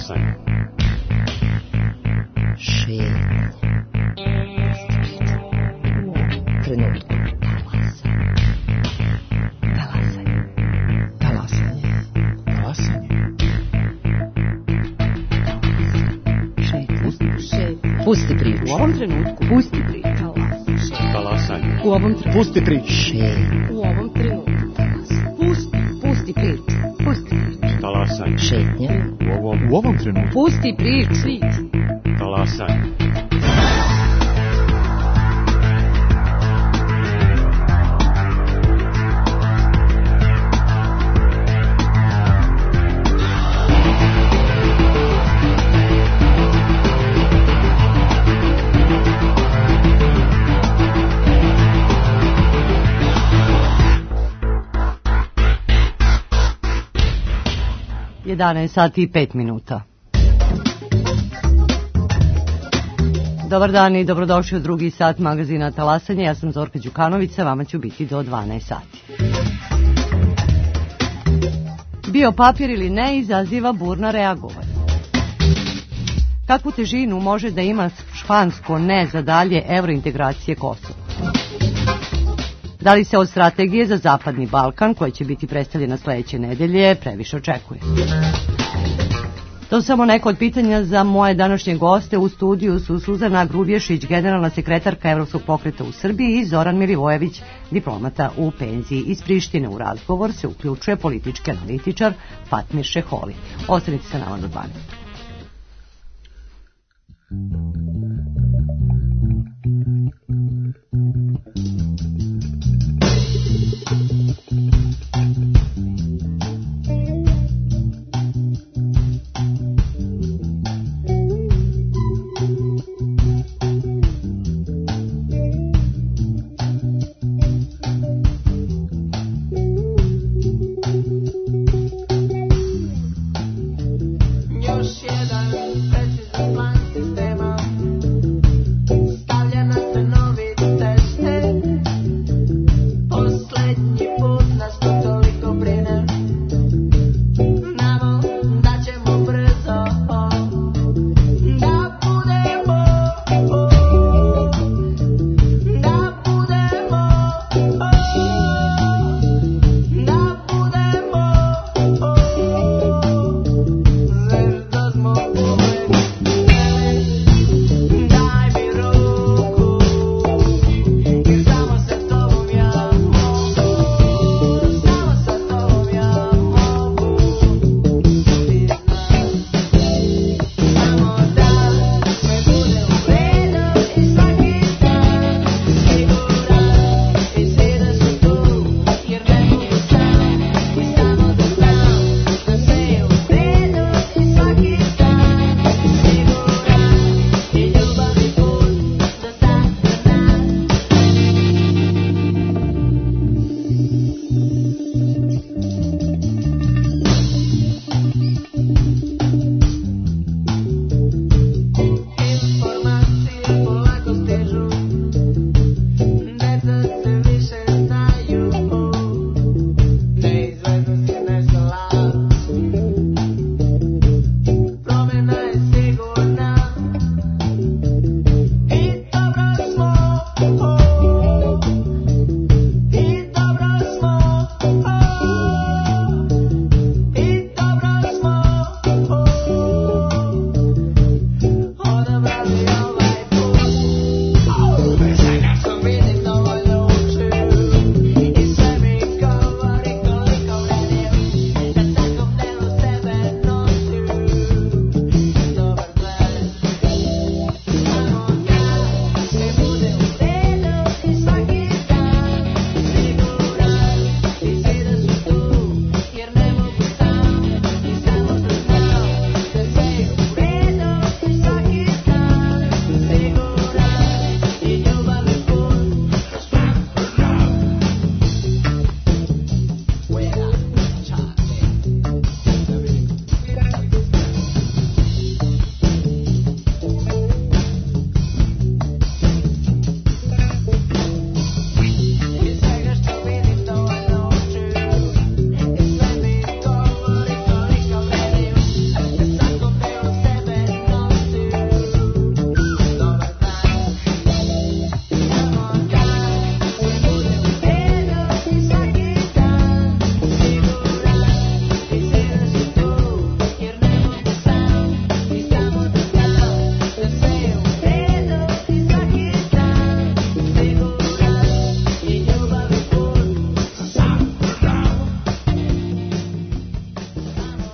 Talasanje. Šetnja. Trenutku. Pusti priču. U ovom trenutku. Pusti priču. Talasanje. U ovom trenutku. Pusti priču. U ovom trenutku. Pusti priču. Pusti priču. Talasanje. Šetnja. U ovom trenutku. Pusti priču. Talasanje. Sati i 5 minuta. Dobar dan i dobrodošli u drugi sat magazina Talasanje. Ja sam Zorka Đukanović, sa vama ću biti do 12 sati. Bio papir ili ne izaziva burna reagovanja. Kakvu težinu može da ima špansko ne za dalje evrointegracije Kosova? Da li se od strategije za Zapadni Balkan, koja će biti predstavljena sledeće nedelje, previše očekuje? To su samo neko od pitanja za moje današnje goste. U studiju su Suzana Grubješić, generalna sekretarka Evropskog pokreta u Srbiji, i Zoran Milivojević, diplomata u penziji. Iz Prištine u razgovor se uključuje politički analitičar Fatmir Šeholi. Ostanite sa nama do 12. Još jedan precizan plan sistema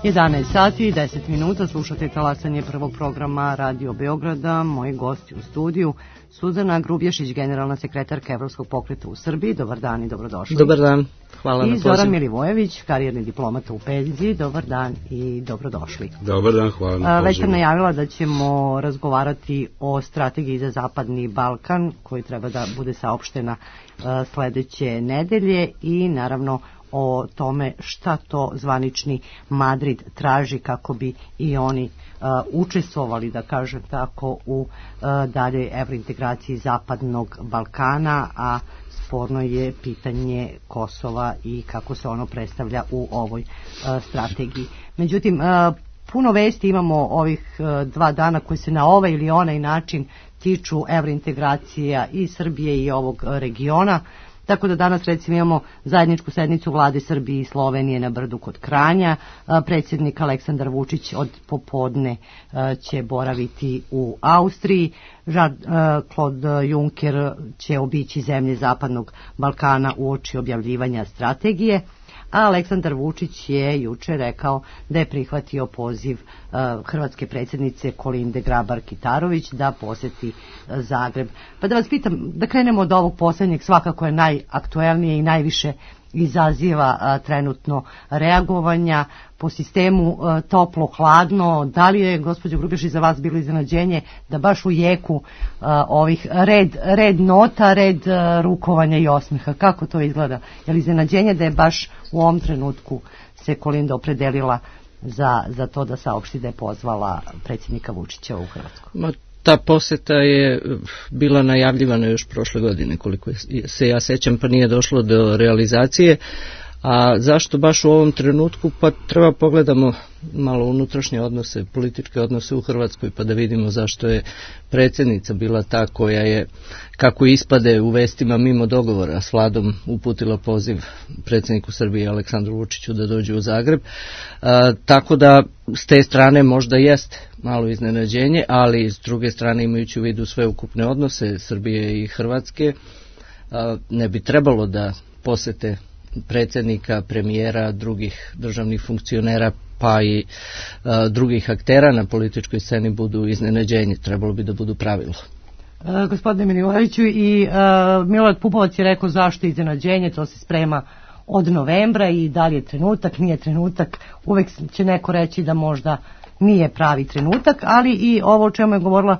11 sati i 10 minuta, slušate talasanje prvog programa Radio Beograda. Moji gosti u studiju, Suzana Grubješić, generalna sekretarka Evropskog pokreta u Srbiji. Dobar dan i dobrodošli. Dobar dan, hvala na pozivu. I Zoran Milivojević, karijerni diplomata u penziji. Dobar dan i dobrodošli. Dobar dan, hvala na pozivu. Već sam najavila da ćemo razgovarati o strategiji za Zapadni Balkan, koji treba da bude saopštena sledeće nedelje, i naravno o tome šta to zvanični Madrid traži kako bi i oni učestvovali, da kažem tako, u dalje evrointegraciji Zapadnog Balkana, a sporno je pitanje Kosova i kako se ono predstavlja u ovoj strategiji. Međutim, puno vesti imamo ovih 2 dana koji se na ovaj ili onaj način tiču evrointegracija i Srbije i ovog regiona. Tako da danas recimo imamo zajedničku sednicu vlade Srbije i Slovenije na Brdu kod Kranja. Predsjednik Aleksandar Vučić od popodne će boraviti u Austriji. Jean-Claude Juncker će obići zemlje Zapadnog Balkana uoči objavljivanja strategije. A Aleksandar Vučić je juče rekao da je prihvatio poziv hrvatske predsjednice Kolinde Grabar-Kitarović da poseti Zagreb. Pa da vas pitam, da krenemo od ovog posljednjeg, svakako je najaktuelnije i najviše izaziva trenutno reagovanja po sistemu toplo-hladno. Da li je, gospođo Grubješić, za vas bilo iznenađenje da baš u jeku ovih red nota, red rukovanja i osmeha? Kako to izgleda? Je li iznenađenje da je baš u ovom trenutku se Kolinda opredelila za to da saopšti da je pozvala predsjednika Vučića u Hrvatsku? Ta posjeta je bila najavljivana još prošle godine, koliko se ja sećam, pa nije došlo do realizacije. A zašto baš u ovom trenutku? Pa treba pogledamo malo unutrašnje odnose, političke odnose u Hrvatskoj, pa da vidimo zašto je predsjednica bila ta koja je, kako ispade u vestima mimo dogovora s vladom, uputila poziv predsjedniku Srbije Aleksandru Vučiću da dođe u Zagreb. Tako da s te strane možda jeste malo iznenađenje, ali s druge strane, imajući u vidu sve ukupne odnose Srbije i Hrvatske, ne bi trebalo da posete predsjednika, premijera, drugih državnih funkcionera pa i drugih aktera na političkoj sceni budu iznenađenje. Trebalo bi da budu pravilo. Gospodine Milivojeviću, i Milorad Pupovac je rekao zašto iznenađenje, to se sprema od novembra i da li je trenutak, nije trenutak. Uvek će neko reći da možda nije pravi trenutak, ali i ovo o čemu je govorila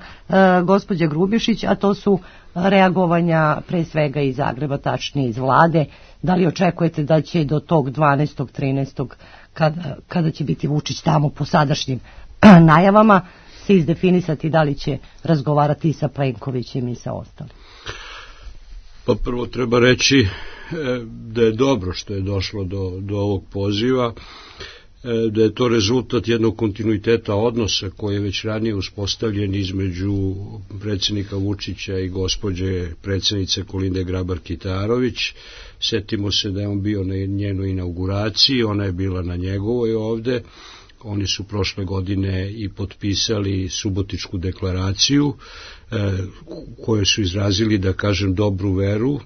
gospođa Grubješić, a to su reagovanja pre svega iz Zagreba, tačnije iz vlade. Da li očekujete da će do tog 12. 13. kada će biti Vučić tamo po sadašnjim najavama se izdefinisati da li će razgovarati i sa Plenkovićem i sa ostalim? Pa prvo treba reći da je dobro što je došlo do ovog poziva, da je to rezultat jednog kontinuiteta odnosa koji je već ranije uspostavljen između predsjednika Vučića i gospođe predsjednice Kolinde Grabar-Kitarović. Setimo se da je on bio na njenoj inauguraciji, ona je bila na njegovoj ovde. Oni su prošle godine i potpisali Subotičku deklaraciju, koju su izrazili, da kažem, dobru veru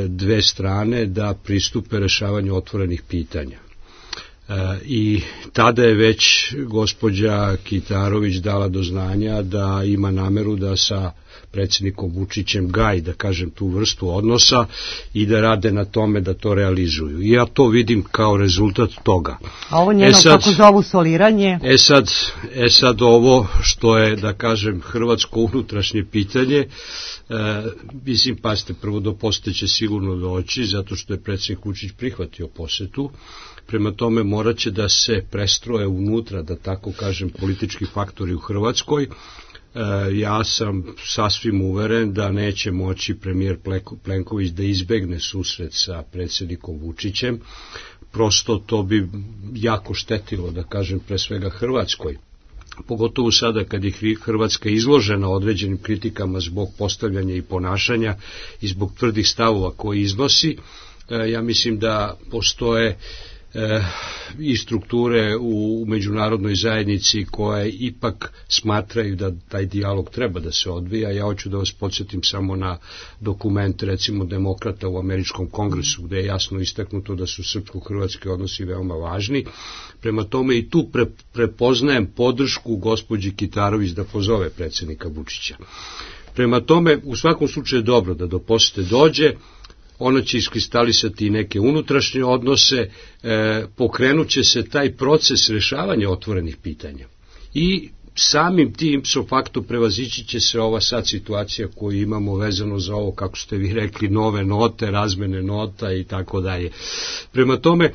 dve strane da pristupe rešavanju otvorenih pitanja. I tada je već gospođa Kitarović dala do znanja da ima nameru da sa predsjednikom Vučićem gaji, da kažem, tu vrstu odnosa i da rade na tome da to realizuju. I ja to vidim kao rezultat toga. A ovo njeno kako zovu soliranje? Sad ovo što je, da kažem, hrvatsko unutrašnje pitanje, mislim, pazite, prvo do posete će sigurno doći, zato što je predsjednik Vučić prihvatio posetu. Prema tome morat će da se prestroje unutra, da tako kažem, politički faktori u Hrvatskoj. Ja sam sasvim uveren da neće moći premijer Plenković da izbegne susret sa predsjednikom Vučićem. Prosto to bi jako štetilo, da kažem, pre svega Hrvatskoj. Pogotovo sada kad je Hrvatska izložena određenim kritikama zbog postavljanja i ponašanja i zbog tvrdih stavova koje iznosi. Ja mislim da postoje i strukture u međunarodnoj zajednici koje ipak smatraju da taj dijalog treba da se odvija. Ja hoću da vas podsjetim samo na dokument, recimo, demokrata u Američkom kongresu, gde je jasno istaknuto da su srpsko-hrvatski odnosi veoma važni. Prema tome i tu prepoznajem podršku gospođi Kitarović da pozove predsjednika Vučića. Prema tome, u svakom slučaju je dobro da do posete dođe, ona će iskristalisati neke unutrašnje odnose, pokrenut će se taj proces rešavanja otvorenih pitanja. I samim tim ipso facto prevazići će se ova sad situacija koju imamo vezano za ovo, kako ste vi rekli, nove note, razmene nota i tako dalje. Prema tome,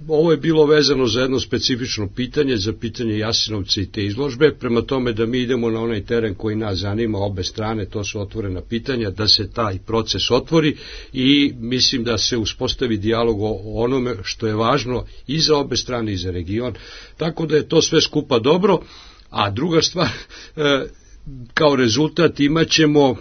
ovo je bilo vezano za jedno specifično pitanje, za pitanje Jasenovca i te izložbe, prema tome da mi idemo na onaj teren koji nas zanima, obe strane, to su otvorena pitanja, da se taj proces otvori i mislim da se uspostavi dijalog o onome što je važno i za obe strane i za region, tako da je to sve skupa dobro. A druga stvar, kao rezultat imat ćemo,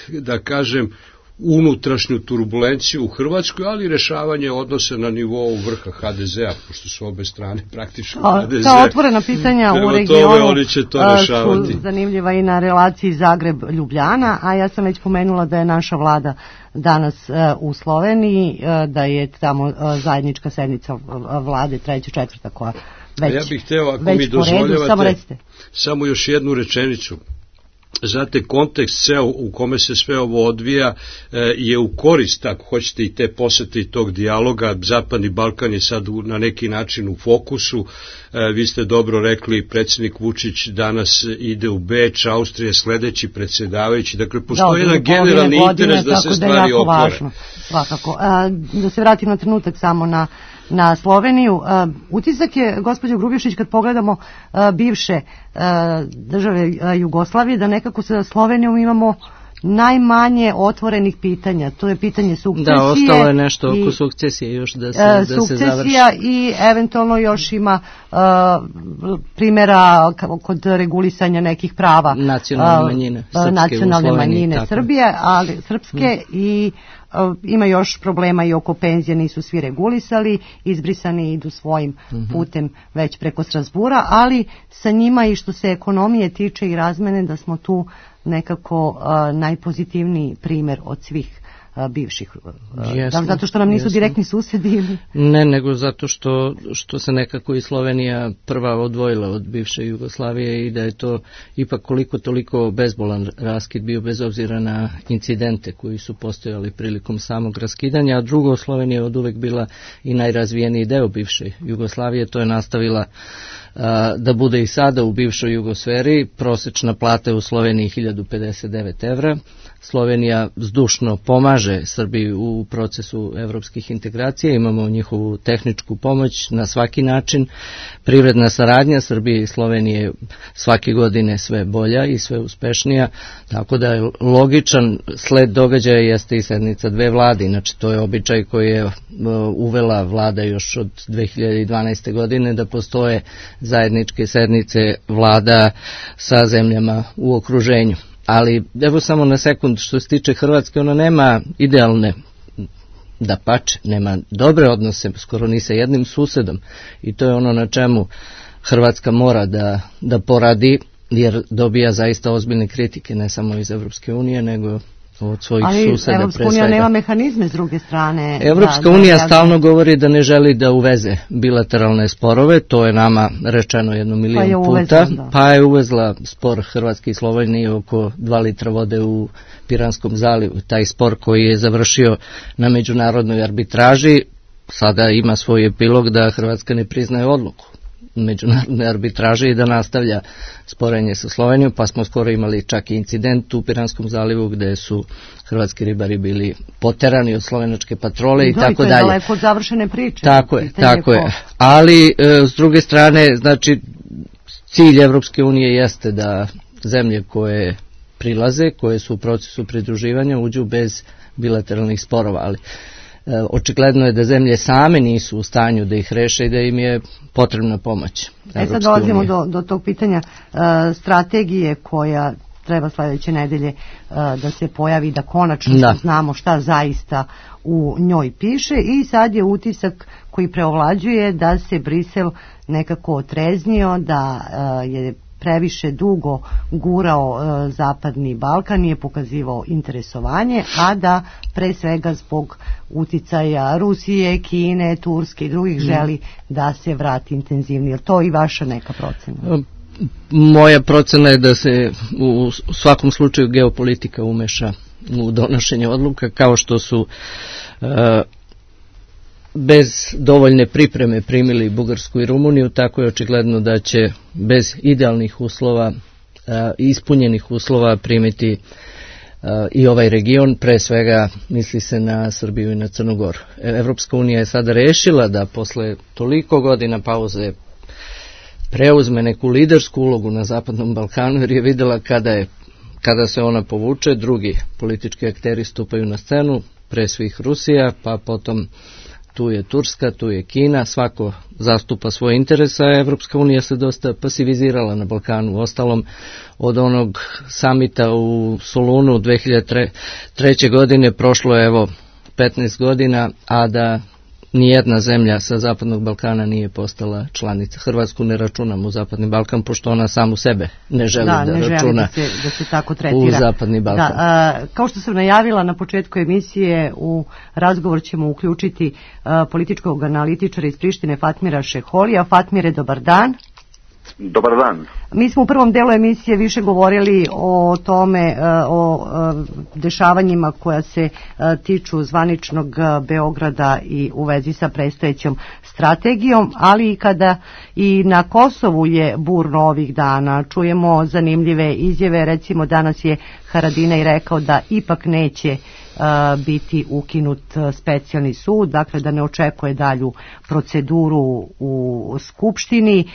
da kažem, unutrašnju turbulenciju u Hrvatskoj, ali rešavanje odnosa na nivou vrha HDZ-a, pošto su obe strane praktično HDZ. Ta otvorena pitanja u regionu su zanimljiva i na relaciji Zagreb-Ljubljana, a ja sam već pomenula da je naša vlada danas u Sloveniji, da je tamo zajednička sednica vlade, 3. 4. koja već, ja bih hteo, ako mi dozvoljavate, samo još jednu rečenicu. Znate, kontekst ceo u kome se sve ovo odvija je u korist, ako hoćete, i te posete i tog dijaloga. Zapadni Balkan je sad na neki način u fokusu. Vi ste dobro rekli, predsjednik Vučić danas ide u Beč, Austrija sledeći predsjedavajući. Dakle, postoji jedan generalni interes da se stvari otvore. Svakako. Da se vratim na trenutak samo na Sloveniju. Utisak je, gospođo Grubješić, kad pogledamo bivše države Jugoslavije, da nekako sa Slovenijom imamo najmanje otvorenih pitanja. To je pitanje sukcesije. Da, ostalo je nešto oko sukcesije još da se završi. Sukcesija i eventualno još ima primjera kod regulisanja nekih prava nacionalne manjine Srbije, ali srpske i ima još problema i oko penzije, nisu svi regulisali, izbrisani idu svojim putem već preko Strasbura, ali sa njima i što se ekonomije tiče i razmene, da smo tu nekako najpozitivniji primjer od svih bivših. Zato što nam nisu direktni susjedi ili? Ne, nego zato što se nekako i Slovenija prva odvojila od bivše Jugoslavije i da je to ipak koliko toliko bezbolan raskid bio, bez obzira na incidente koji su postojali prilikom samog raskidanja, a drugo, Slovenija je od uvek bila i najrazvijeniji deo bivše Jugoslavije, to je nastavila da bude i sada u bivšoj Jugosferi. Prosečna plata u Sloveniji 1059 evra. Slovenija zdušno pomaže Srbiji u procesu evropskih integracija, imamo njihovu tehničku pomoć na svaki način. Privredna saradnja Srbije i Slovenije svake godine sve bolja i sve uspešnija, tako da je logičan sled događaja jeste i sednica dve vlade. Inače, to je običaj koji je uvela vlada još od 2012. godine, da postoje zajedničke sednice vlada sa zemljama u okruženju. Ali evo samo na sekund, što se tiče Hrvatske, ona nema idealne, dapače, nema dobre odnose skoro ni sa jednim susedom i to je ono na čemu Hrvatska mora da poradi, jer dobija zaista ozbiljne kritike, ne samo iz Evropske unije, nego od svojih suseda pre svega. Ali Evropska unija nema mehanizme s druge strane. Evropska unija stalno govori da ne želi da uveze bilateralne sporove, to je nama rečeno 1 milion puta, pa je uvezla spor Hrvatske i Slovenije oko 2 litra vode u Piranskom zalivu. Taj spor koji je završio na međunarodnoj arbitraži sada ima svoj epilog da Hrvatska ne priznaje odluku međunarodne arbitraže i da nastavlja sporenje sa Slovenijom, pa smo skoro imali čak i incident u Piranskom zalivu gde su hrvatski ribari bili poterani od slovenačke patrole i tako dalje. To je daleko od završene priče. Tako je. Ali s druge strane, znači, cilj Evropske unije jeste da zemlje koje prilaze, koje su u procesu pridruživanja, uđu bez bilateralnih sporova, ali očigledno je da zemlje same nisu u stanju da ih reše i da im je potrebna pomoć. Sad dolazimo do tog pitanja strategije koja treba sledeće nedelje da se pojavi, da konačno znamo šta zaista u njoj piše, i sad je utisak koji preovlađuje da se Brisel nekako otreznio, da je previše dugo gurao Zapadni Balkan, nije pokazivao interesovanje, a da pre svega zbog uticaja Rusije, Kine, Turske i drugih želi da se vrati intenzivnije. Je to i vaša neka procena? Moja procena je da se u svakom slučaju geopolitika umeša u donošenje odluka, kao što su bez dovoljne pripreme primili Bugarsku i Rumuniju, tako je očigledno da će bez idealnih uslova, ispunjenih uslova primiti i ovaj region, pre svega misli se na Srbiju i na Crnu Goru. Evropska unija je sada rešila da posle toliko godina pauze preuzme neku lidersku ulogu na Zapadnom Balkanu, jer je videla kada se ona povuče, drugi politički akteri stupaju na scenu, pre svih Rusija, pa potom tu je Turska, tu je Kina, svako zastupa svoje interese, a Evropska unija se dosta pasivizirala na Balkanu. Ostalom, od onog samita u Solunu 2003. godine prošlo je 15 godina, a da nijedna zemlja sa Zapadnog Balkana nije postala članica. Hrvatsku ne računam u Zapadni Balkan, pošto ona samu sebe ne želi da računa da se tako tretira u Zapadni Balkan. Kao što sam najavila na početku emisije, u razgovor ćemo uključiti političkog analitičara iz Prištine Fatmira Šeholija. Fatmire, dobar dan. Dobar dan. Mi smo u prvom delu emisije više govorili o tome, o dešavanjima koja se tiču zvaničnog Beograda i u vezi sa predstojećom strategijom, ali i kada i na Kosovu je burno ovih dana. Čujemo zanimljive izjave, recimo danas je Haradinaj rekao da ipak neće biti ukinut specijalni sud, dakle da ne očekuje dalju proceduru u Skupštini.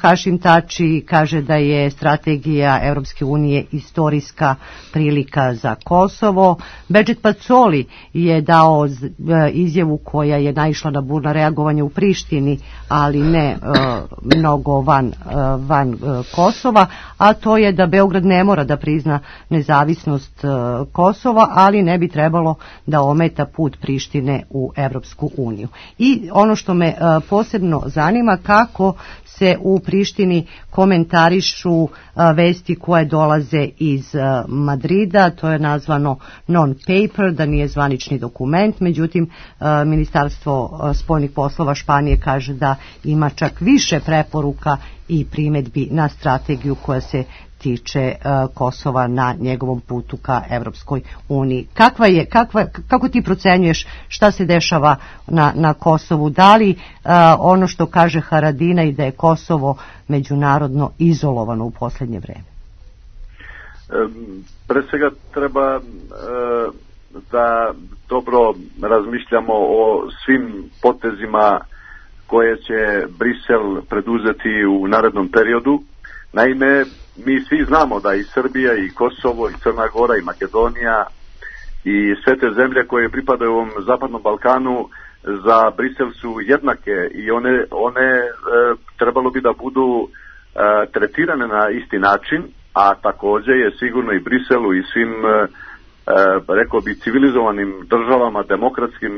Hašim Tači kaže da je strategija Evropske unije istorijska prilika za Kosovo. Bedžet Pacoli je dao izjavu koja je naišla na burno reagovanje u Prištini, ali ne mnogo van Kosova, a to je da Beograd ne mora da prizna nezavisnost Kosova, ali ne bi trebalo da ometa put Prištine u Evropsku uniju. I ono što me posebno zanima, kako se u Prištini komentarišu vesti koje dolaze iz Madrida, to je nazvano non-paper, da nije zvanični dokument, međutim Ministarstvo spoljnih poslova Španije kaže da ima čak više preporuka i primedbi na strategiju koja se tiče Kosova na njegovom putu ka Evropskoj uniji. Kako ti procenjuješ šta se dešava na Kosovu? Da li ono što kaže Haradinaj da je Kosovo međunarodno izolovano u posljednje vreme? Pre svega treba da dobro razmišljamo o svim potezima koje će Brisel preduzeti u narednom periodu. Naime, mi svi znamo da i Srbija, i Kosovo, i Crna Gora, i Makedonija i sve te zemlje koje pripadaju ovom Zapadnom Balkanu za Brisel su jednake i one trebalo bi da budu tretirane na isti način, a takođe je sigurno i Briselu i svim, rekao bi, civilizovanim državama, demokratskim,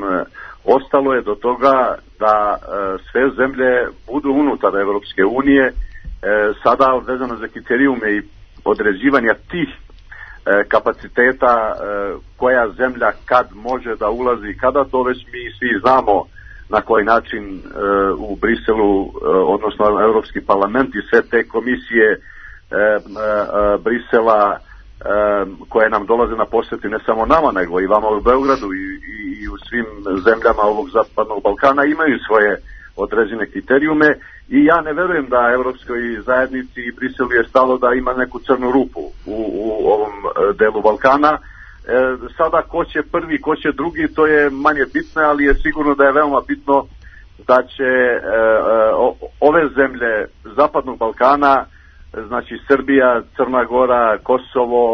ostalo je do toga da sve zemlje budu unutar Evropske unije. Sada vezano za kriterijume i određivanja tih kapaciteta, koja zemlja kad može da ulazi, kada, to već mi svi znamo na koji način u Briselu, odnosno Evropski parlament i sve te komisije Brisela koje nam dolaze na posjeti ne samo nama, nego i vama u Beogradu i u svim zemljama ovog Zapadnog Balkana imaju svoje određene kriterijume, i ja ne verujem da Evropskoj zajednici i Briselu je stalo da ima neku crnu rupu u ovom delu Balkana. Sada ko će prvi, ko će drugi, to je manje bitno, ali je sigurno da je veoma bitno da će ove zemlje Zapadnog Balkana, znači Srbija, Crna Gora, Kosovo,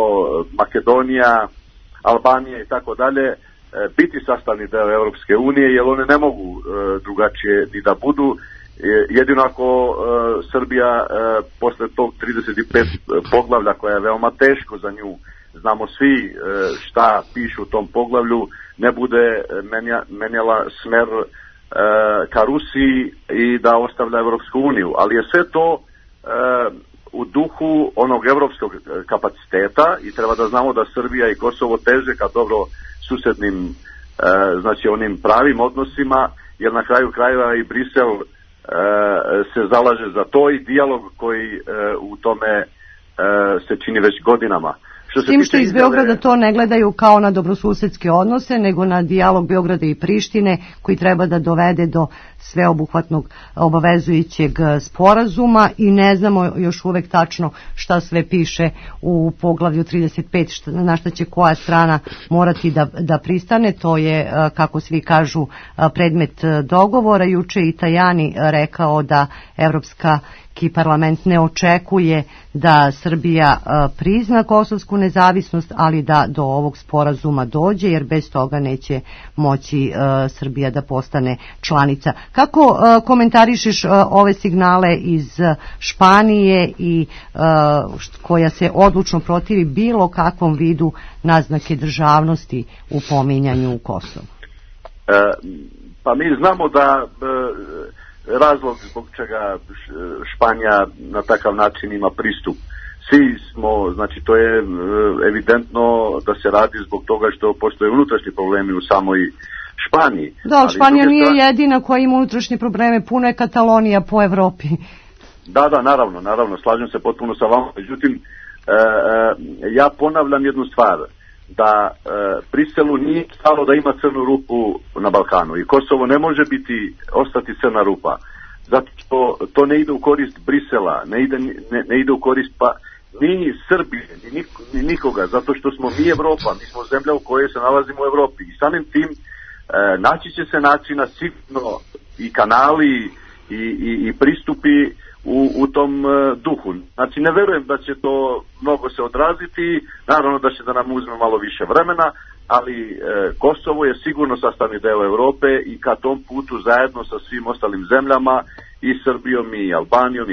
Makedonija, Albanija i tako dalje, biti sastavni deo Evropske unije, jer one ne mogu drugačije ni da budu, Jedino ako Srbija posle tog 35 poglavlja, koja je veoma teško za nju, znamo svi šta piše u tom poglavlju, ne bude menjala smer ka Rusiji i da ostavlja Evropsku uniju. Ali je sve to u duhu onog evropskog kapaciteta i treba da znamo da Srbija i Kosovo teže ka dobro susednim, znači onim pravim odnosima, jer na kraju krajeva i Brisel se zalaže za to i dijalog koji u tome se čini već godinama. S tim što iz Beograda to ne gledaju kao na dobrosusedske odnose, nego na dijalog Beograda i Prištine, koji treba da dovede do sveobuhvatnog obavezujućeg sporazuma, i ne znamo još uvek tačno šta sve piše u poglavlju 35, na šta će koja strana morati da pristane. To je, kako svi kažu, predmet dogovora. Juče i Tajani rekao da Evropski parlament ne očekuje da Srbija prizna kosovsku nezavisnost, ali da do ovog sporazuma dođe, jer bez toga neće moći Srbija da postane članica. Kako komentarišeš ove signale iz Španije i koja se odlučno protivi bilo kakvom vidu naznake državnosti u pominjanju Kosova? Pa mi znamo da razlog zbog čega Španija na takav način ima pristup. Svi smo, znači to je evidentno da se radi zbog toga što postoje unutrašnji problemi u samoj Španiji. Da, ali Španija nije jedina koja ima unutrašnje probleme, puno je Katalonija po Evropi. Da, naravno, slažem se potpuno sa vama. Međutim, ja ponavljam jednu stvar, da Briselu nije stalo da ima crnu rupu na Balkanu i Kosovo ne može ostati crna rupa, zato što to ne ide u korist Brisela, ne ide u korist ni Srbije, ni nikoga, zato što smo mi Evropa, mi smo zemlja u kojoj se nalazimo u Evropi i samim tim naći će se načina sigurno i kanali i pristupi u tom duhu. Znači ne verujem da će to mnogo se odraziti, naravno da će da nam uzme malo više vremena, ali Kosovo je sigurno sastavni deo Evrope i ka tom putu zajedno sa svim ostalim zemljama, i Srbijom i Albanijom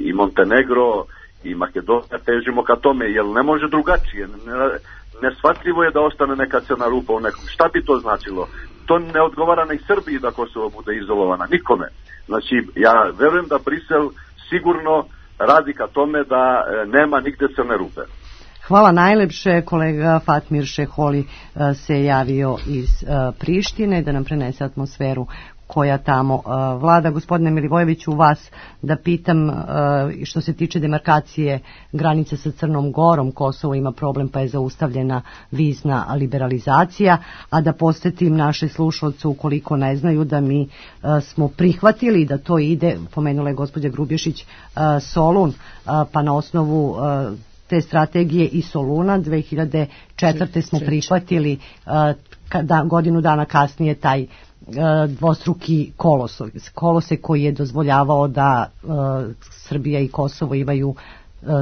i Montenegro i Makedonija težimo ka tome, jer ne može drugačije. Neshvatljivo je da ostane neka crna rupa u nekom. Šta bi to značilo? To ne odgovara ni Srbiji da Kosovo bude izolovana, nikome. Znači ja verujem da Brisel sigurno radi ka tome da nema nigde crne rupe. Hvala najlepše. Kolega Fatmir Šeholi se javio iz Prištine da nam prenese atmosferu koja tamo vlada. Gospodine Milivojeviću, vas da pitam, što se tiče demarkacije granice sa Crnom Gorom, Kosovo ima problem pa je zaustavljena vizna liberalizacija, a da podsjetim naše slušalce, ukoliko ne znaju, da mi smo prihvatili da to ide, pomenula je gospođa Grubješić, Solun, pa na osnovu te strategije i Soluna 2004. smo prihvatili godinu dana kasnije taj dvostruki kolosek koji je dozvoljavao da Srbija i Kosovo imaju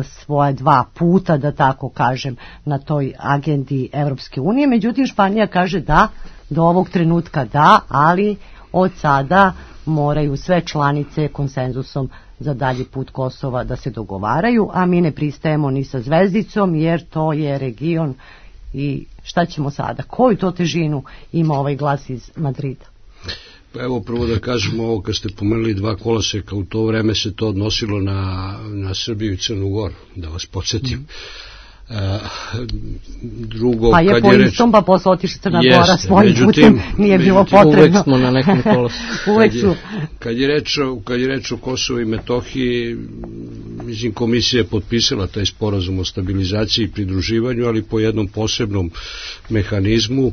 svoje dva puta, da tako kažem, na toj agendi Evropske unije. Međutim, Španija kaže da, do ovog trenutka da, ali od sada moraju sve članice konsenzusom za dalji put Kosova da se dogovaraju, a mi ne pristajemo ni sa zvezdicom, jer to je region. I šta ćemo sada? Koju to težinu ima ovaj glas iz Madrida? Pa evo, prvo da kažemo ovo, kad ste pomenuli dva koloseka, u to vreme se to odnosilo na Srbiju i Crnu Goru, da vas podsjetim. Drugo, pa je po istom, pa posle otišla Crna Gora svojim putem, nije bilo potrebno. Uvek smo na nekom koloseku. Kad je reč o Kosovu i Metohiji, mislim, komisija je potpisala taj sporazum o stabilizaciji i pridruživanju, ali po jednom posebnom mehanizmu.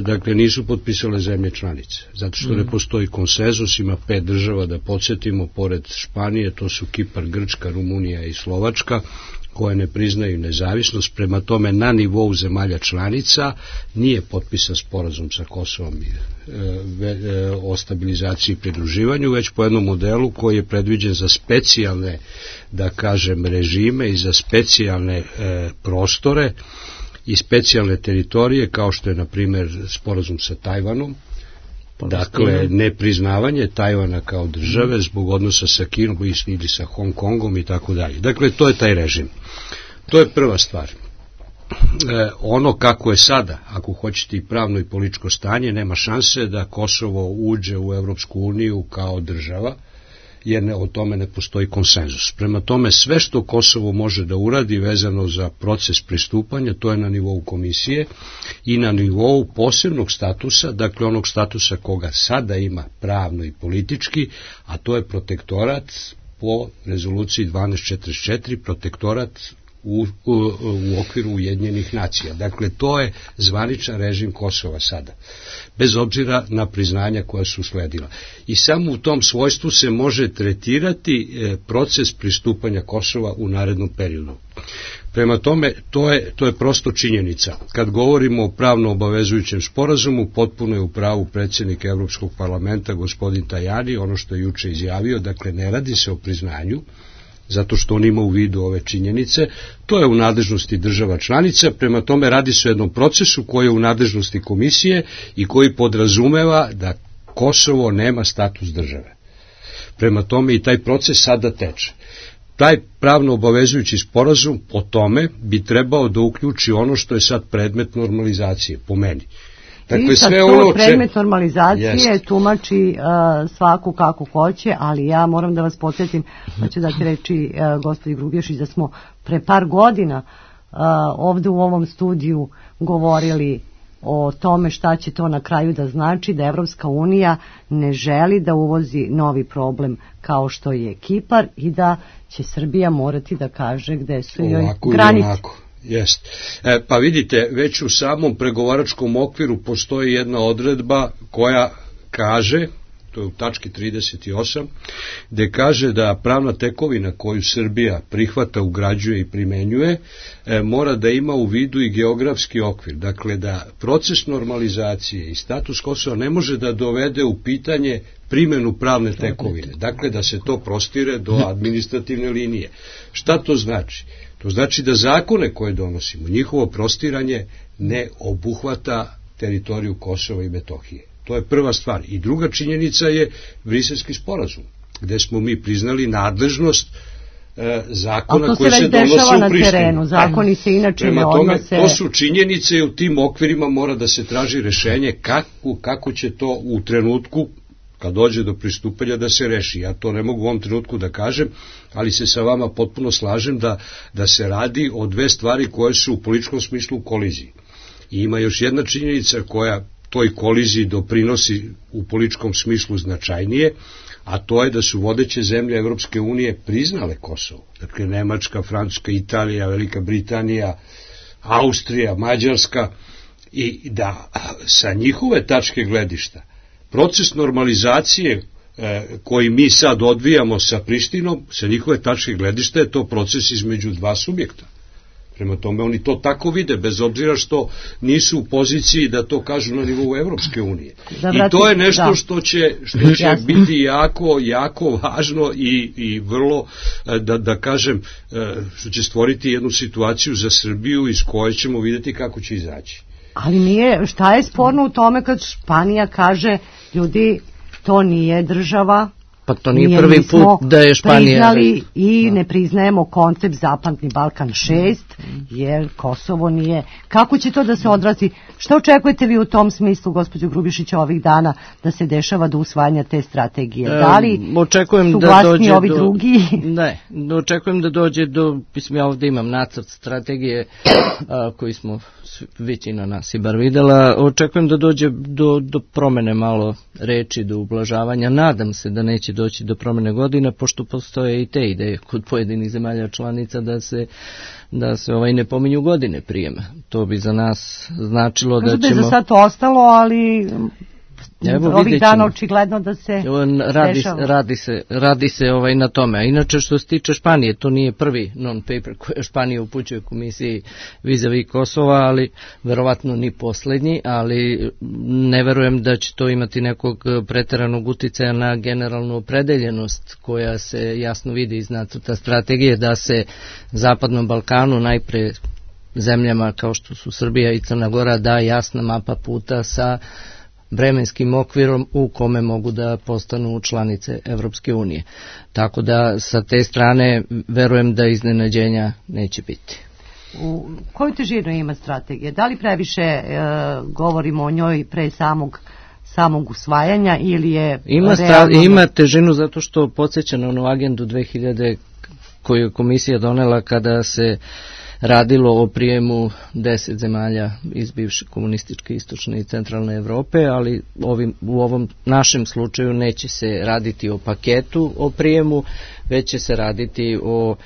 Dakle, nisu potpisale zemlje članice, zato što ne postoji konsenzus. Ima 5 država, da podsjetimo, pored Španije, to su Kipar, Grčka, Rumunija i Slovačka, koje ne priznaju nezavisnost. Prema tome, na nivou zemalja članica nije potpisan sporazum sa Kosovom o stabilizaciji i pridruživanju, već po jednom modelu koji je predviđen za specijalne, da kažem, režime i za specijalne prostore i specijalne teritorije, kao što je, na primjer, sporazum sa Tajvanom, Dakle, nepriznavanje Tajvana kao države zbog odnosa sa Kinom ili sa Hong Kongom i tako dalje. Dakle, to je taj režim. To je prva stvar. Ono kako je sada, ako hoćete i pravno i političko stanje, nema šanse da Kosovo uđe u Evropsku uniju kao država, jer o tome ne postoji konsenzus. Prema tome, sve što Kosovo može da uradi vezano za proces pristupanja, to je na nivou komisije i na nivou posebnog statusa, dakle onog statusa koga sada ima pravno i politički, a to je protektorat po rezoluciji 1244, protektorat u okviru Ujedinjenih nacija. Dakle, to je zvaničan režim Kosova sada, bez obzira na priznanja koja su sledila. I samo u tom svojstvu se može tretirati proces pristupanja Kosova u narednom periodu. Prema tome, to je prosto činjenica. Kad govorimo o pravno obavezujućem sporazumu, potpuno je u pravu predsjednik Evropskog parlamenta, gospodin Tajani, ono što je juče izjavio, dakle, ne radi se o priznanju, zato što on ima u vidu ove činjenice, to je u nadležnosti država članica, prema tome radi se o jednom procesu koji je u nadležnosti komisije i koji podrazumeva da Kosovo nema status države. Prema tome i taj proces sada teče. Taj pravno obavezujući sporazum o tome bi trebao da uključi ono što je sad predmet normalizacije, po meni. Dakle, sve ono predmet normalizacije tumači svaku kako hoće, ali ja moram da vas podsjetim, da ću dati reći gospođi Grubješić, da smo pre par godina ovde u ovom studiju govorili o tome šta će to na kraju da znači, da Evropska unija ne želi da uvozi novi problem kao što je Kipar i da će Srbija morati da kaže gde su joj granice. Jest. Pa vidite, već u samom pregovaračkom okviru postoji jedna odredba koja kaže, to je u tački 38, gde kaže da pravna tekovina koju Srbija prihvata, ugrađuje i primenjuje, mora da ima u vidu i geografski okvir. Dakle, da proces normalizacije i status Kosova ne može da dovede u pitanje primjenu pravne tekovine. Dakle, da se to prostire do administrativne linije. Šta to znači? To znači da zakone koje donosimo, njihovo prostiranje ne obuhvata teritoriju Kosova i Metohije. To je prva stvar. I druga činjenica je Briselski sporazum, gde smo mi priznali nadležnost zakona koji se donose u Prištini. Terenu, zakoni se inače ne odnose. To su činjenice i u tim okvirima mora da se traži rešenje kako će to u trenutku kad dođe do pristupanja da se reši. Ja to ne mogu u ovom trenutku da kažem, ali se sa vama potpuno slažem da se radi o dve stvari koje su u političkom smislu u koliziji. I ima još jedna činjenica koja toj koliziji doprinosi u političkom smislu značajnije, a to je da su vodeće zemlje Evropske unije priznale Kosovo. Dakle, Nemačka, Francuska, Italija, Velika Britanija, Austrija, Mađarska, i da sa njihove tačke gledišta proces normalizacije koji mi sad odvijamo sa Prištinom, sa njihove tačke gledišta je to proces između dva subjekta. Prema tome oni to tako vide, bez obzira što nisu u poziciji da to kažu na nivou Evropske unije. I to je nešto što će biti jako važno i vrlo, da kažem, što će stvoriti jednu situaciju za Srbiju iz koje ćemo vidjeti kako će izaći. Ali šta je sporno u tome kad Španija kaže, ljudi, to nije država, pa to nije prvi put da je Španija priznali i ne priznajemo koncept Zapadni Balkan 6, jer Kosovo nije. Kako će to da se odrazi? Šta očekujete vi u tom smislu, gospođo Grubišić, ovih dana da se dešava do usvajanja te strategije? Da li su glasni ovi drugi? Ne, očekujem da dođe do, mislim, ja ovdje imam nacrt strategije koji smo većina nas i bar videla, očekujem da dođe do promene malo reči, do ublažavanja. Nadam se da neće doći do promene godine, pošto postoje i te ideje kod pojedinih zemalja članica da se ne pominju godine prijema. To bi za nas značilo da ćemo... Kažu da je za sad ostalo, ali ovih dana očigledno da se dešava. Radi se na tome. A inače što se tiče Španije, to nije prvi non-paper koji Španija upućuje komisiji vis-a-vis Kosova, ali verovatno ni poslednji, ali ne verujem da će to imati nekog preteranog uticaja na generalnu opredeljenost koja se jasno vidi iz nacrta strategije da se Zapadnom Balkanu, najpre zemljama kao što su Srbija i Crna Gora, da jasna mapa puta sa vremenskim okvirom u kome mogu da postanu članice Evropske unije. Tako da sa te strane verujem da iznenađenja neće biti. U koju težinu ima strategija? Da li previše govorimo o njoj pre samog usvajanja ili je ima težinu zato što podsjeća na onu agendu 2000 koju je komisija donela kada se radilo o prijemu 10 zemalja iz bivše komunističke istočne i centralne Evrope, ali u ovom našem slučaju neće se raditi o paketu o prijemu, već će se raditi o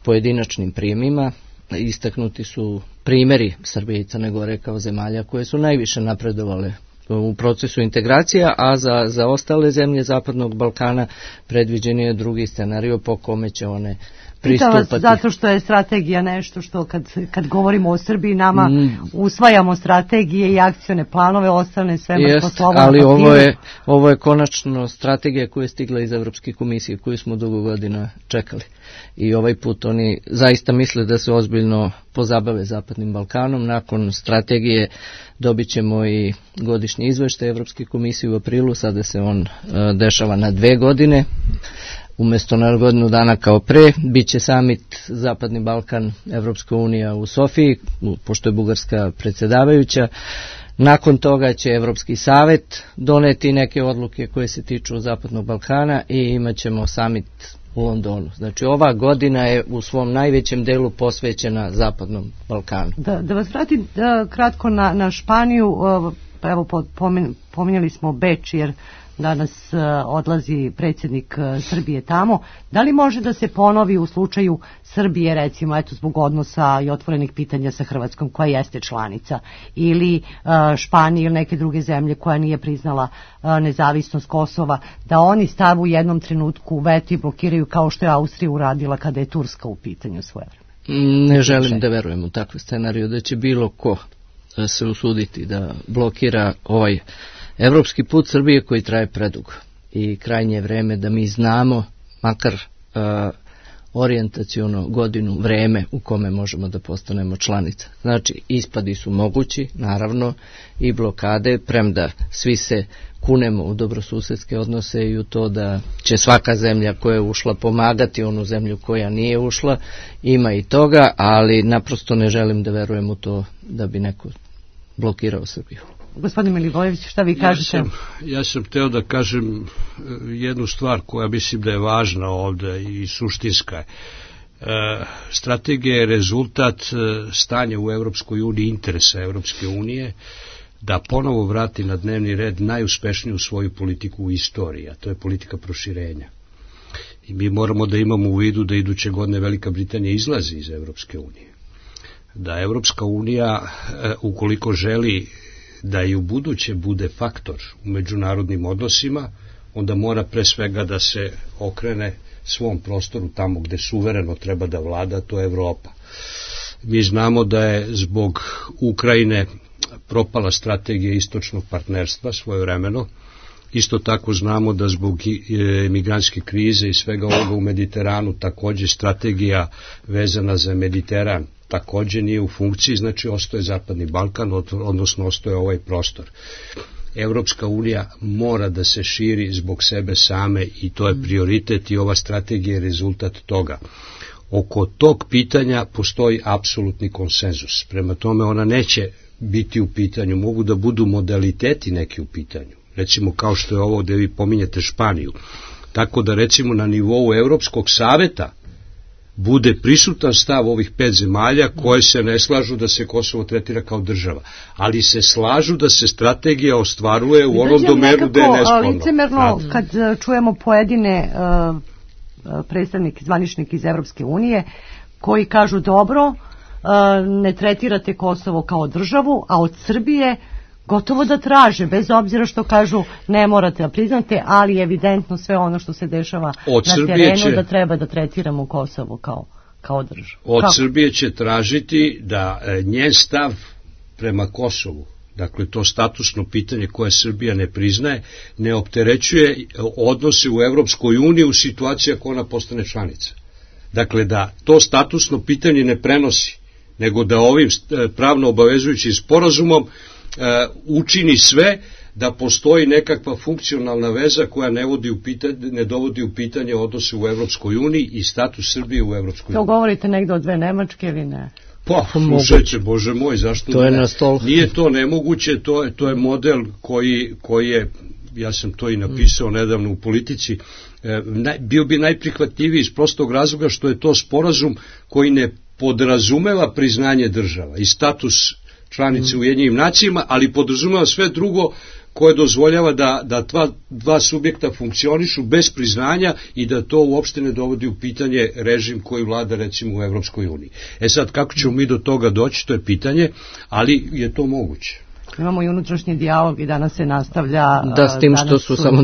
pojedinačnim prijemima. Istaknuti su primjeri Srbije i Crne Gore kao zemalja koje su najviše napredovale u procesu integracija, a za ostale zemlje Zapadnog Balkana predviđen je drugi scenario po kome će one pristupati. Zato što je strategija nešto što kad govorimo o Srbiji nama usvajamo strategije i akcione planove, ostane sve mrtvo slovo na papiru. Ali ovo je konačno strategija koja je stigla iz Evropske komisije koju smo dugo godina čekali. I ovaj put oni zaista misle da se ozbiljno pozabave Zapadnim Balkanom. Nakon strategije dobit ćemo i godišnji izveštaj Evropske komisije u aprilu, sada se on dešava na 2 godine. Umjesto na godinu dana kao pre, bit će samit Zapadni Balkan, Evropska unija u Sofiji, pošto je Bugarska predsjedavajuća. Nakon toga će Evropski savet doneti neke odluke koje se tiču Zapadnog Balkana i imat ćemo samit u Londonu. Znači ova godina je u svom najvećem delu posvećena Zapadnom Balkanu. Da vas vratim kratko na Španiju, evo pominjali smo Beč jer danas odlazi predsjednik Srbije tamo. Da li može da se ponovi u slučaju Srbije, recimo, eto zbog odnosa i otvorenih pitanja sa Hrvatskom, koja jeste članica, ili Španija ili neke druge zemlje koja nije priznala nezavisnost Kosova, da oni stavu u jednom trenutku veto i blokiraju kao što je Austrija uradila kada je Turska u pitanju svoje vreme? Ne želim da verujem u takve scenariju, da će bilo ko se usuditi da blokira ovaj evropski put Srbije koji traje predugo i krajnje je vreme da mi znamo makar orijentaciono godinu vreme u kome možemo da postanemo članica. Znači ispadi su mogući, naravno, i blokade, premda svi se kunemo u dobrosusedske odnose i u to da će svaka zemlja koja je ušla pomagati onu zemlju koja nije ušla, ima i toga, ali naprosto ne želim da verujem u to da bi neko blokirao Srbiju. Gospodin Milivojević, šta vi kažete? Ja sam hteo da kažem jednu stvar koja mislim da je važna ovde i suštinska je. Strategija je rezultat stanja u Evropskoj uniji, interesa Evropske unije, da ponovo vrati na dnevni red najuspešniju svoju politiku u istoriji, a to je politika proširenja. I mi moramo da imamo u vidu da iduće godine Velika Britanija izlazi iz Evropske unije. Da Evropska unija, ukoliko želi da i u buduće bude faktor u međunarodnim odnosima, onda mora pre svega da se okrene svom prostoru tamo gde suvereno treba da vlada, to je Evropa. Mi znamo da je zbog Ukrajine propala strategija istočnog partnerstva svojevremeno. Isto tako znamo da zbog migrantske krize i svega ovoga u Mediteranu takođe strategija vezana za Mediteran takođe nije u funkciji, znači ostaje Zapadni Balkan, odnosno ostaje ovaj prostor. Evropska unija mora da se širi zbog sebe same i to je prioritet i ova strategija je rezultat toga. Oko tog pitanja postoji apsolutni konsenzus. Prema tome ona neće biti u pitanju, mogu da budu modaliteti neki u pitanju. Recimo kao što je ovo gde vi pominjete Španiju. Tako da recimo na nivou Evropskog saveta bude prisutan stav ovih 5 zemalja koje se ne slažu da se Kosovo tretira kao država, ali se slažu da se strategija ostvaruje u onom domenu gde je nesporno. Licemerno kad čujemo pojedine predstavnike, zvaničnike iz Evropske unije koji kažu dobro, ne tretirate Kosovo kao državu, a od Srbije gotovo da traže, bez obzira što kažu ne morate da priznate, ali evidentno sve ono što se dešava na terenu da treba da tretiramo Kosovo kao državu. Od Srbije će tražiti da njen stav prema Kosovu, dakle to statusno pitanje koje Srbija ne priznaje, ne opterećuje odnose u Evropskoj uniji u situaciji ako ona postane članica. Dakle da to statusno pitanje ne prenosi, nego da ovim pravno obavezujućim sporazumom učini sve da postoji nekakva funkcionalna veza koja ne dovodi u pitanje odnose u Evropskoj uniji i status Srbije u Evropskoj uniji. To govorite negde o dve Nemačke ili ne? Pa, slušajte, Bože moj, zašto to ne? Je na stolu. Nije to nemoguće, to je model koji je, ja sam to i napisao nedavno u Politici, bio bi najprihvatljiviji iz prostog razloga što je to sporazum koji ne podrazumeva priznanje država i status članice u Ujedinjenim nacijama, ali podrazumeva sve drugo koje dozvoljava da dva subjekta funkcionišu bez priznanja i da to uopšte ne dovodi u pitanje režim koji vlada recimo u Evropskoj uniji. Sad, kako ćemo mi do toga doći, to je pitanje, ali je to moguće. Imamo i unutrašnji dijalog i danas se nastavlja... Da, s tim što su samo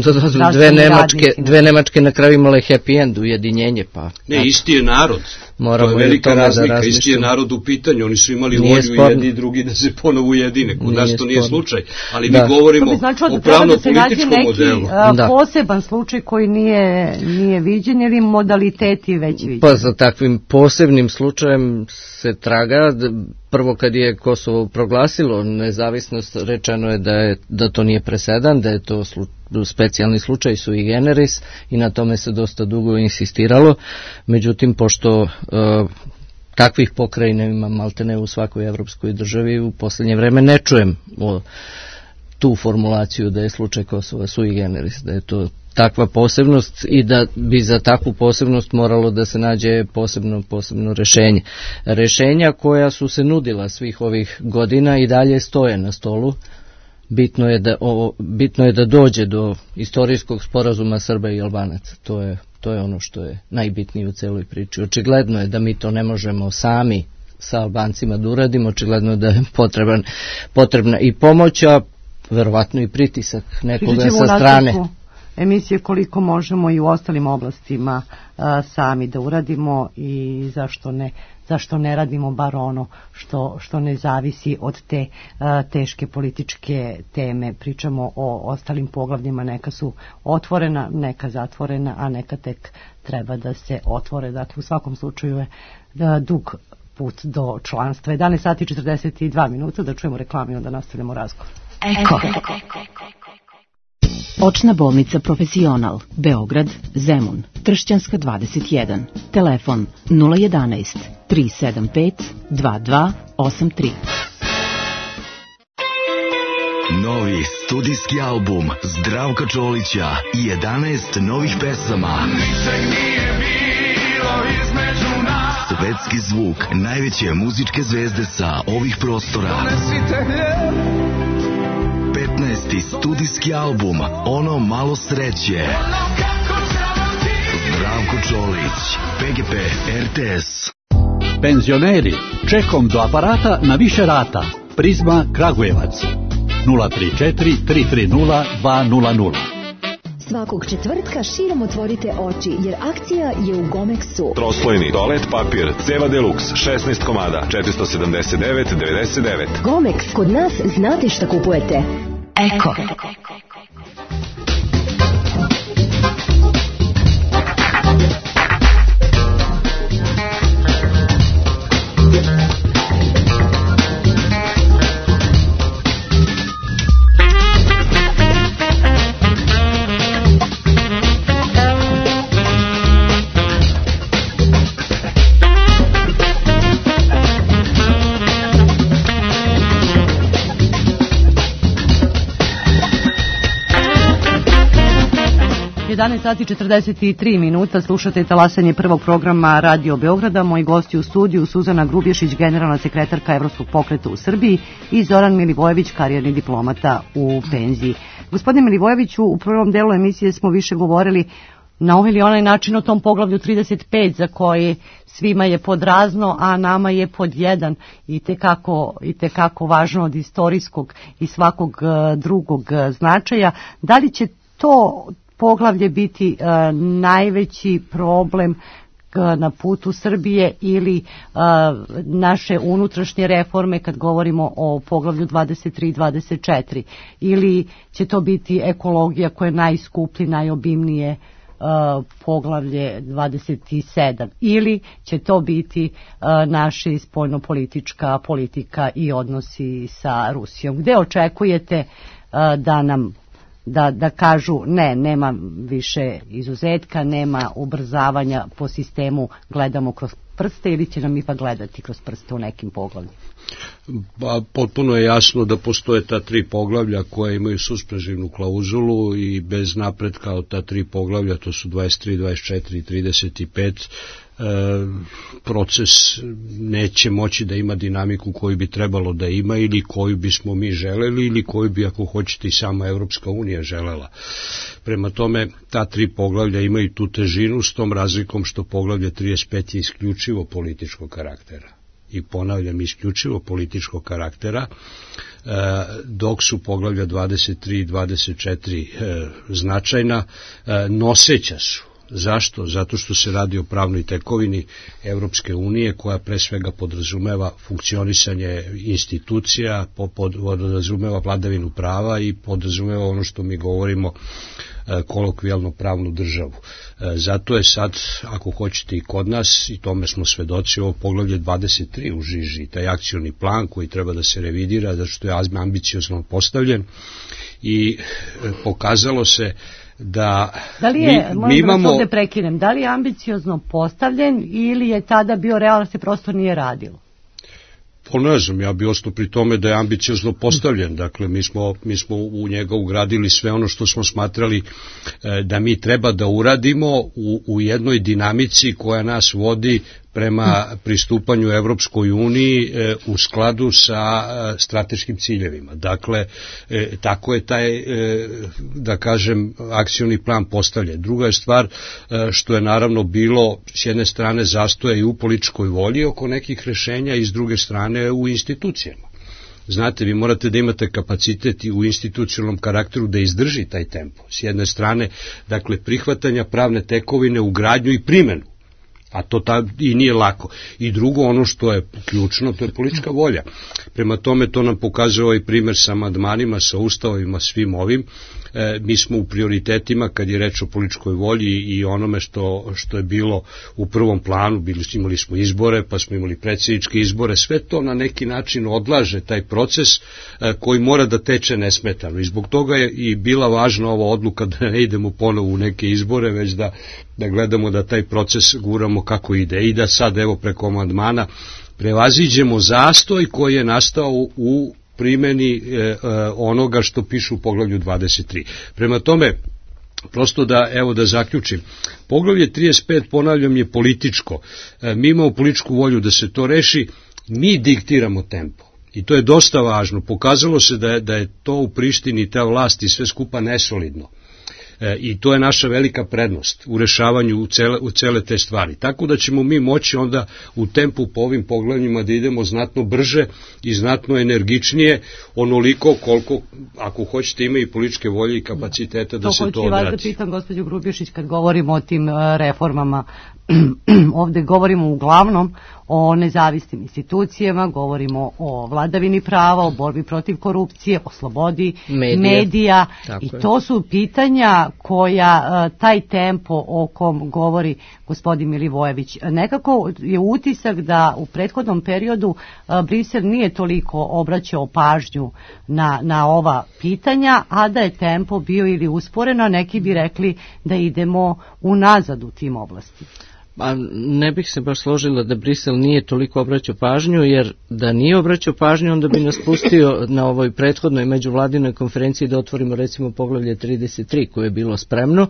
dve Nemačke na kraju imale happy end, ujedinjenje, pa... Ne, isti je narod. To je velika razlika, isti je narod u pitanju, oni su imali volju jedni i drugi da se ponovo ujedine, kod nas to nije slučaj, ali mi govorimo o pravno-političkom modelu. Poseban slučaj koji nije viđen ili modaliteti već viđen? Pa za takvim posebnim slučajem se traga. Prvo kad je Kosovo proglasilo nezavisnost, rečeno je da to nije presedan, da je to specijalni slučaj sui generis i na tome se dosta dugo insistiralo. Međutim, pošto takvih pokrajina ima maltene u svakoj evropskoj državi, u posljednje vreme ne čujem tu formulaciju da je slučaj Kosova sui generis, da je to takva posebnost i da bi za takvu posebnost moralo da se nađe posebno rešenje. Rešenja koja su se nudila svih ovih godina i dalje stoje na stolu. Bitno je da dođe do istorijskog sporazuma Srba i Albanaca. To je ono što je najbitnije u celoj priči. Očigledno je da mi to ne možemo sami sa Albancima da uradimo, očigledno je da je potrebna i pomoć, a verovatno i pritisak nekoga sa strane. Emisije koliko možemo i u ostalim oblastima sami da uradimo i zašto ne radimo bar ono što ne zavisi od te teške političke teme. Pričamo o ostalim poglavljima, neka su otvorena, neka zatvorena, a neka tek treba da se otvore. Dakle, u svakom slučaju je dug put do članstva. 11 sati 42 minuta, da čujemo reklami i onda nastavljamo razgovor. Eko. Očna bolnica Profesional, Beograd, Zemun, Tršćanska 21, telefon 011 375 2283. Novi studijski album Zdravka Čolića i 11 novih pesama. Ničeg nije bilo između nas. Svetski zvuk najveće muzičke zvezde sa ovih prostora. Donesite hljeb. 15. studijski album Ono malo sreće. Zdravko Čolić, PGP RTS. Penzioneri, čekom do aparata na više rata. Prizma Kragujevac 034 330 200. Svakog četvrtka širom otvorite oči, jer akcija je u Gomexu. Troslojni toalet papir Ceva Deluxe 16 komada 479,99. Gomex, kod nas znate šta kupujete. Eko. Sati 43 minuta, slušate talasanje prvog programa Radio Beograda. Moji gosti u studiju Suzana Grubješić, generalna sekretarka Evropskog pokreta u Srbiji, i Zoran Milivojević, karijerni diplomata u penziji. Gospodine Milivojeviću, u prvom delu emisije smo više govorili na ovaj ili onaj način o tom poglavlju 35 za koje svima je pod razno, a nama je pod jedan, i tekako važno od istorijskog i svakog drugog značaja. Da li će to poglavlje biti najveći problem na putu Srbije ili naše unutrašnje reforme kad govorimo o poglavlju 23 i 24, ili će to biti ekologija koja je najskuplji, najobimnije poglavlje 27, ili će to biti naša spoljnopolitička politika i odnosi sa Rusijom. Gde očekujete da nam da kažu ne, nema više izuzetka, nema ubrzavanja po sistemu gledamo kroz prste, ili će nam ipak gledati kroz prste u nekim poglavljima? Pa, potpuno je jasno da postoje ta 3 poglavlja koja imaju suspenzivnu klauzulu i bez napretka od ta 3 poglavlja, to su 23, 24 i 35, proces neće moći da ima dinamiku koju bi trebalo da ima ili koju bismo mi želeli ili koju bi, ako hoćete, i sama Evropska unija želela. Prema tome, ta 3 poglavlja imaju tu težinu, s tom razlikom što poglavlje 35 je isključivo političkog karaktera. I ponavljam, isključivo političkog karaktera, dok su poglavlja 23 i 24 značajna, noseća su. Zašto? Zato što se radi o pravnoj tekovini Evropske unije, koja pre svega podrazumeva funkcionisanje institucija, podrazumeva vladavinu prava i podrazumeva ono što mi govorimo kolokvijalno pravnu državu. Zato je sad, ako hoćete, i kod nas, i tome smo svedoci, ovo poglavlje 23 u žiži, taj akcioni plan koji treba da se revidira, zato što je ambiciozno postavljen i pokazalo se da li je, mi imamo... ovde prekinem, da li je ambiciozno postavljen ili je tada bio realno, se prosto nije radilo? Pa ne znam, ja bi ostao pri tome da je ambiciozno postavljen. Dakle, mi smo u njega ugradili sve ono što smo smatrali da mi treba da uradimo u jednoj dinamici koja nas vodi prema pristupanju Evropskoj uniji u skladu sa strateškim ciljevima. Dakle, tako je taj, da kažem, akcioni plan postavljen. Druga je stvar što je naravno bilo s jedne strane zastoja i u političkoj volji oko nekih rešenja i s druge strane u institucijama. Znate, vi morate da imate kapacitet i u institucionalnom karakteru da izdrži taj tempo. S jedne strane, dakle, prihvatanja pravne tekovine u gradnju i primenu. A to i nije lako. I drugo, ono što je ključno, to je politička volja. Prema tome, to nam pokazuje ovaj primer sa amandmanima, sa ustavovima, svim ovim. Mi smo u prioritetima, kad je reč o političkoj volji i onome što je bilo u prvom planu, imali smo izbore, pa smo imali predsjedničke izbore, sve to na neki način odlaže taj proces koji mora da teče nesmetano. I zbog toga je i bila važna ova odluka da ne idemo ponovo u neke izbore, već da gledamo da taj proces guramo kako ide i da sad, evo, preko amandmana prevaziđemo zastoj koji je nastao u primjeni onoga što piše u poglavlju 23. Prema tome, prosto da zaključim, poglavlje 35, ponavljam, je političko. Mi imamo političku volju da se to reši, mi diktiramo tempo. I to je dosta važno. Pokazalo se da je to u Prištini, ta vlast i sve skupa nesolidno. I to je naša velika prednost u rešavanju u cele te stvari. Tako da ćemo mi moći onda u tempu po ovim poglavljima da idemo znatno brže i znatno energičnije, onoliko koliko, ako hoćete, ima i političke volje i kapaciteta da se to odradi. To hoću vas da pitam, gospođo Grubješić, kad govorimo o tim reformama, ovde govorimo uglavnom o nezavisnim institucijama, govorimo o vladavini prava, o borbi protiv korupcije, o slobodi medija i to su pitanja koja taj tempo o kom govori gospodin Milivojević. Nekako je utisak da u prethodnom periodu Brisel nije toliko obraćao pažnju na ova pitanja, a da je tempo bio ili usporeno, neki bi rekli da idemo unazad u tim oblastima. Ne bih se baš složila da Brisel nije toliko obraćao pažnju, jer da nije obraćao pažnju, onda bi nas pustio na ovoj prethodnoj međuvladinoj konferenciji da otvorimo recimo poglavlje 33 koje je bilo spremno,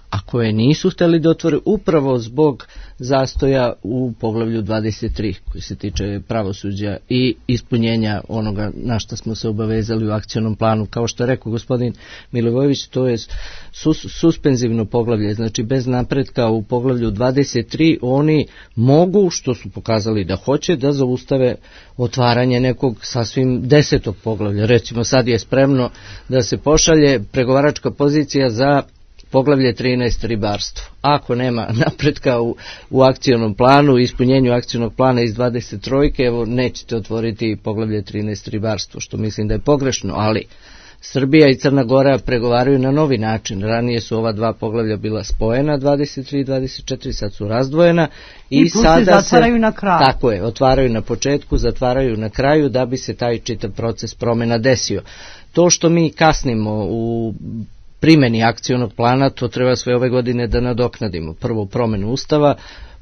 a koje nisu hteli da otvore upravo zbog zastoja u poglavlju 23 koji se tiče pravosuđa i ispunjenja onoga na što smo se obavezali u akcionom planu. Kao što je rekao gospodin Milivojević, to je suspenzivno poglavlje, znači bez napretka u poglavlju 23 oni mogu, što su pokazali da hoće, da zaustave otvaranje nekog sasvim 10. poglavlja. Recimo sad je spremno da se pošalje pregovaračka pozicija za poglavlje 13 ribarstvo. Ako nema napretka u akcionom planu, ispunjenju akcionog plana iz 23, evo nećete otvoriti poglavlje 13 ribarstvo, što mislim da je pogrešno, ali Srbija i Crna Gora pregovaraju na novi način. Ranije su ova dva poglavlja bila spojena, 23 i 24, sad su razdvojena i sada se zatvaraju na kraju. Tako je, otvaraju na početku, zatvaraju na kraju da bi se taj čitav proces promjena desio. To što mi kasnimo u primjeni akcionog plana, to treba sve ove godine da nadoknadimo. Prvo promjenu Ustava,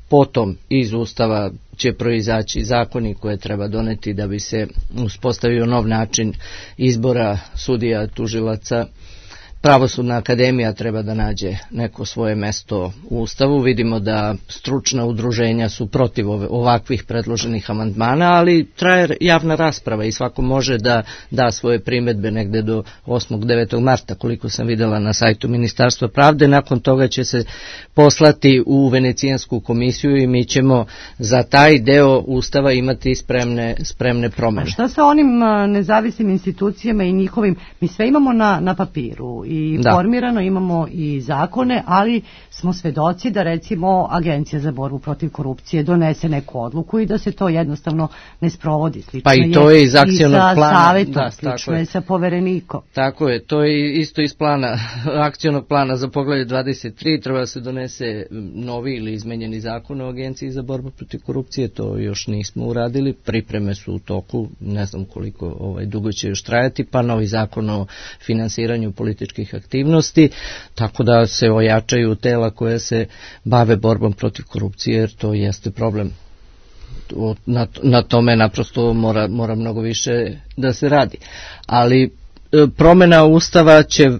potom iz Ustava će proizaći zakoni koje treba doneti da bi se uspostavio nov način izbora sudija, tužilaca. Pravosudna akademija treba da nađe neko svoje mesto u Ustavu. Vidimo da stručna udruženja su protiv ovakvih predloženih amandmana, ali traje javna rasprava i svako može da da svoje primedbe negde do 8. 9. marta, koliko sam videla na sajtu Ministarstva pravde. Nakon toga će se poslati u Venecijansku komisiju i mi ćemo za taj deo Ustava imati spremne promene. A šta sa onim nezavisnim institucijama i njihovim, mi sve imamo na papiru i formirano, imamo i zakone, ali smo svedoci da recimo Agencija za borbu protiv korupcije donese neku odluku i da se to jednostavno ne sprovodi. Slično pa i to je iz akcionog plana. Savetom, slično je sa poverenikom. Tako je, to je isto iz plana, akcionog plana za poglavlje 23, treba se donese novi ili izmenjeni zakon o Agenciji za borbu protiv korupcije, to još nismo uradili, pripreme su u toku, ne znam koliko dugo će još trajati, pa novi zakon o finansiranju političkih aktivnosti, tako da se ojačaju tela koje se bave borbom protiv korupcije, jer to jeste problem. Na tome naprosto mora mnogo više da se radi. Ali promjena Ustava će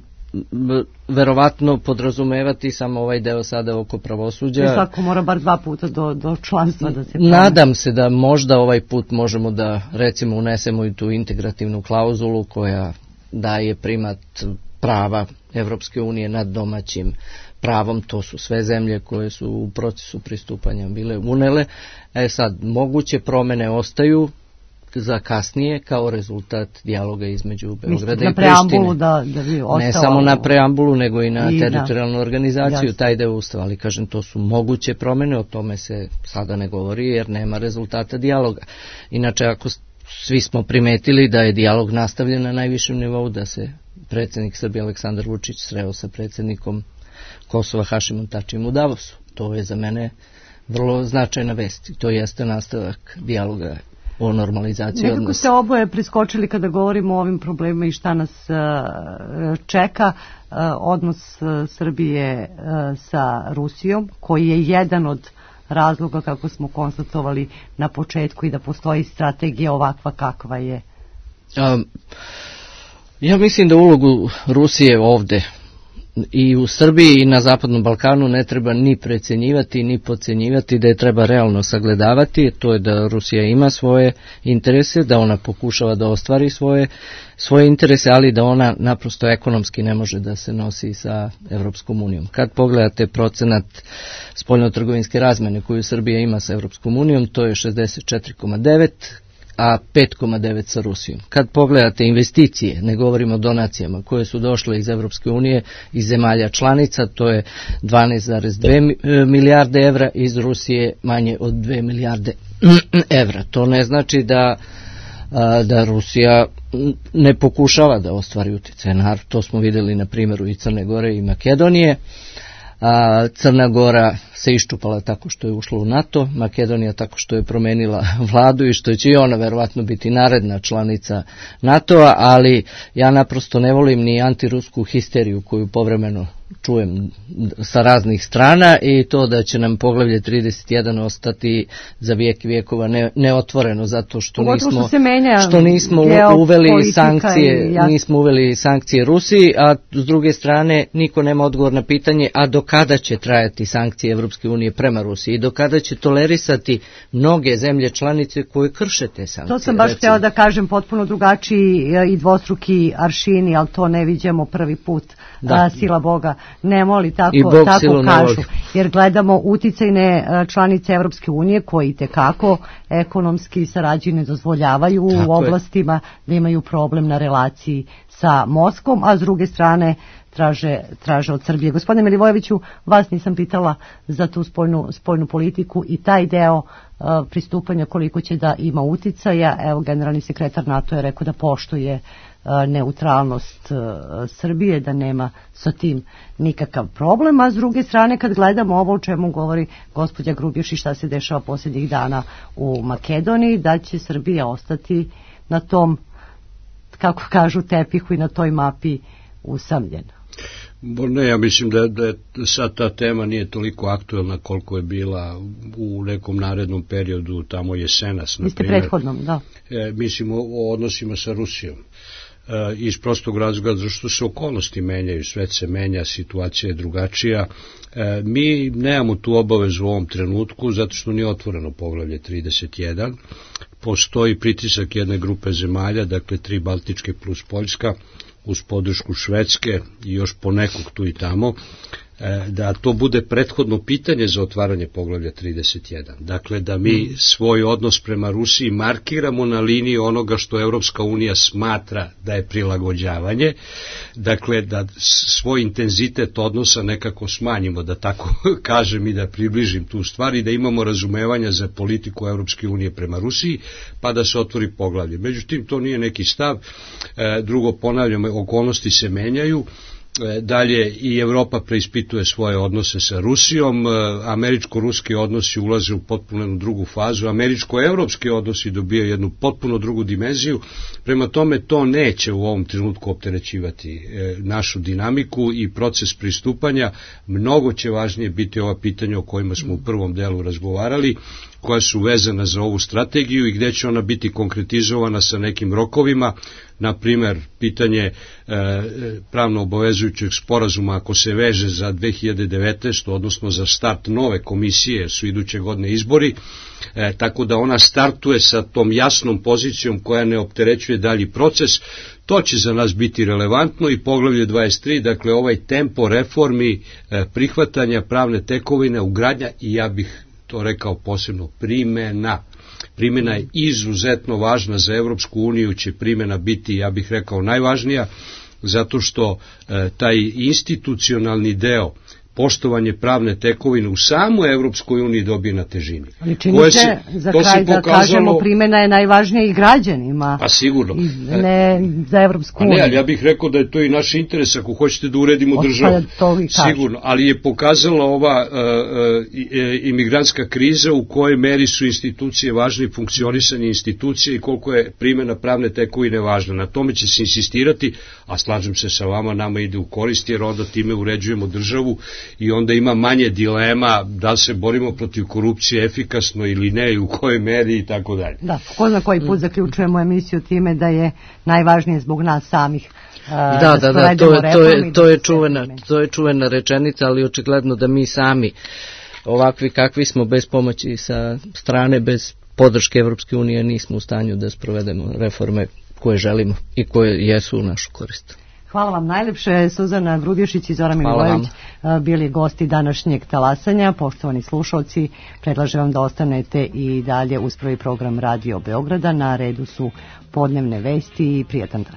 verovatno podrazumevati samo ovaj deo sada oko pravosuđa. I svako mora bar 2 puta do članstva da se promeni. Nadam se da možda ovaj put možemo da recimo unesemo i tu integrativnu klauzulu koja daje primat prava Evropske unije nad domaćim pravom. To su sve zemlje koje su u procesu pristupanja bile unele. Sad, moguće promene ostaju za kasnije kao rezultat dijaloga između Beograda i Prištine. Ne samo na preambulu, nego i na teritorijalnu organizaciju, taj deo Ustava, ali kažem, to su moguće promene, o tome se sada ne govori jer nema rezultata dijaloga. Inače, ako svi smo primetili da je dijalog nastavljen na najvišem nivou, da se predsjednik Srbije Aleksandar Vučić sreo sa predsjednikom Kosova Hašimom Tačijem u Davosu. To je za mene vrlo značajna vest. To jeste nastavak dijaloga o normalizaciji odnosa. Nekako se oboje priskočili kada govorimo o ovim problemima i šta nas čeka. Odnos Srbije sa Rusijom, koji je jedan od razloga, kako smo konstatovali na početku, i da postoji strategija ovakva kakva je. Ja mislim da ulogu Rusije ovde i u Srbiji i na Zapadnom Balkanu ne treba ni precenjivati ni podcenjivati, da je treba realno sagledavati. To je da Rusija ima svoje interese, da ona pokušava da ostvari svoje interese, ali da ona naprosto ekonomski ne može da se nosi sa Evropskom unijom. Kad pogledate procenat spoljnotrgovinske razmene koju Srbija ima sa Evropskom unijom, to je 64,9%, a 5,9 sa Rusijom. Kad pogledate investicije, ne govorimo o donacijama, koje su došle iz Evropske unije, iz zemalja članica, to je 12,2 milijarde evra, iz Rusije manje od 2 milijarde evra. To ne znači da Rusija ne pokušava da ostvari utjecaj. To smo vidjeli na primjeru i Crne Gore i Makedonije. Crna Gora se iščupala tako što je ušla u NATO, Makedonija tako što je promenila vladu i što će i ona verovatno biti naredna članica NATO-a, ali ja naprosto ne volim ni antirusku histeriju koju povremeno čujem sa raznih strana, i to da će nam poglavlje 31 ostati za vijek i vijekova neotvoreno, zato što nismo uveli sankcije Rusiji, a s druge strane niko nema odgovor na pitanje a do kada će trajati sankcije Evropske unije prema Rusiji i do kada će tolerisati mnoge zemlje članice koje krše te sankcije. To sam baš htjela da kažem, potpuno drugačiji i dvostruki aršini, ali to ne viđamo prvi put. Sila Boga ne moli, tako kažu, jer gledamo uticajne članice Evropske unije koji tekako ekonomski sarađuju, ne dozvoljavaju u oblastima da imaju problem na relaciji sa Moskvom, a s druge strane traže od Srbije. Gospodine Milivojeviću, vas nisam pitala za tu spoljnu politiku i taj deo pristupanja koliko će da ima uticaja. Evo, generalni sekretar NATO je rekao da poštuje neutralnost Srbije, da nema sa tim nikakav problem, a s druge strane kad gledamo ovo o čemu govori gospođa Grubješić i šta se dešava posljednjih dana u Makedoniji, da će Srbija ostati na tom kako kažu, tepihu i na toj mapi usamljen? Ne, ja mislim da sad ta tema nije toliko aktuelna koliko je bila u nekom narednom periodu, tamo jesenas. Vi ste prethodnom, da. Mislim o odnosima sa Rusijom. Iz prostog razloga zašto se okolnosti menjaju, svet se menja, situacija je drugačija. Mi nemamo tu obavezu u ovom trenutku zato što nije otvoreno poglavlje 31. Postoji pritisak jedne grupe zemalja, dakle 3 Baltičke plus Poljska, uz podršku Švedske i još ponekog tu i tamo, da to bude prethodno pitanje za otvaranje poglavlja 31. Dakle, da mi svoj odnos prema Rusiji markiramo na liniji onoga što Evropska unija smatra da je prilagođavanje, dakle, da svoj intenzitet odnosa nekako smanjimo, da tako kažem i da približim tu stvar i da imamo razumevanja za politiku Evropske unije prema Rusiji, pa da se otvori poglavlje. Međutim, to nije neki stav. Drugo, ponavljam, okolnosti se menjaju. Dalje, i Evropa preispituje svoje odnose sa Rusijom, američko-ruski odnosi ulaze u potpuno jednu drugu fazu, američko-evropski odnosi dobijaju jednu potpuno drugu dimenziju, prema tome to neće u ovom trenutku opterećivati našu dinamiku i proces pristupanja. Mnogo će važnije biti ova pitanja o kojima smo u prvom delu razgovarali, koja su vezana za ovu strategiju i gde će ona biti konkretizovana sa nekim rokovima, na primer pitanje pravno obavezujućeg sporazuma ako se veže za 2019. odnosno za start nove komisije, su iduće godine izbori, tako da ona startuje sa tom jasnom pozicijom koja ne opterećuje dalji proces. To će za nas biti relevantno i poglavlje 23, dakle ovaj tempo reformi, prihvatanja pravne tekovine, ugradnja i ja bih to rekao posebno primena. Primena je izuzetno važna za Evropsku uniju, će primena biti, ja bih rekao, najvažnija, zato što taj institucionalni deo, poštovanje pravne tekovine u samoj Evropskoj uniji dobije na težini. Ali čini se, za kraj da kažemo, primjena je najvažnija i građanima. Pa sigurno. Ne za Evropsku uniju. Ne, ali ja bih rekao da je to i naš interes ako hoćete da uredimo državu. Sigurno, ali je pokazala ova imigrantska kriza u kojoj meri su institucije važne i funkcionisanje institucije i koliko je primjena pravne tekovine važna. Na tome će se insistirati, a slažem se sa vama, nama ide u korist jer onda time uređujemo državu i onda ima manje dilema da se borimo protiv korupcije efikasno ili ne i u kojoj meri i tako dalje. Da, ko zna koji put zaključujemo emisiju time da je najvažnije zbog nas samih. To je čuvena rečenica, ali očigledno da mi sami ovakvi kakvi smo bez pomoći sa strane, bez podrške Evropske unije nismo u stanju da sprovedemo reforme koje želimo i koje jesu u našu korist. Hvala vam najlepše. Suzana Grubješić i Zoran Milivojević bili gosti današnjeg talasanja. Poštovani slušalci, predlažem vam da ostanete i dalje uz prvi program Radio Beograda. Na redu su podnevne vesti i prijatan dan.